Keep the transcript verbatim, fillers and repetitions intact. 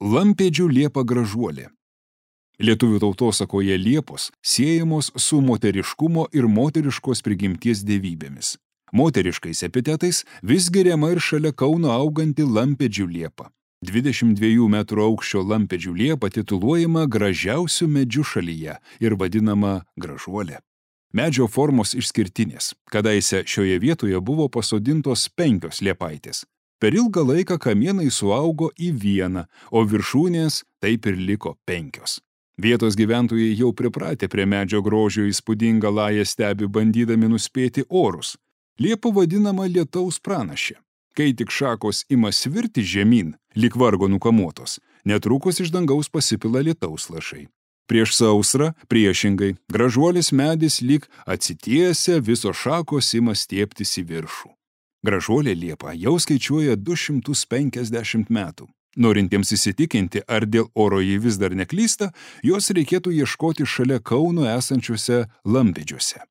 Lampėdžių liepa gražuolė. Lietuvių tautosakoje liepos siejamos su moteriškumo ir moteriškos prigimties dievybėmis. Moteriškais epitetais vis giriama ir šalia Kauno auganti Lampėdžių liepa. dvidešimt dviejų metrų aukščio Lampėdžių liepa tituluojama gražiausiu medžiu šalyje ir vadinama gražuolė. Medžio formos išskirtinės. Kadaise šioje vietoje buvo pasodintos penkios liepaitės. Per ilgą laiką kamienai suaugo į vieną, o viršūnės taip ir liko penkios. Vietos gyventojai jau pripratę prie medžio grožio įspūdingą lają stebi bandydami nuspėti orus. Liepa vadinama lietaus pranašė. Kai tik šakos ima svirti žemyn, lyg vargo nukamuotos, netrukus iš dangaus pasipila lietaus lašai. Prieš sausrą, priešingai, gražuolis medis lyg atsitiesia, visos šakos ima stieptis į viršų. Gražuolė liepa jau skaičiuoja du šimtus penkiasdešimt metų. Norintiems įsitikinti, ar dėl oro ji vis dar neklysta, jos reikėtų ieškoti šalia Kauno esančiuose Lampėdžiuose.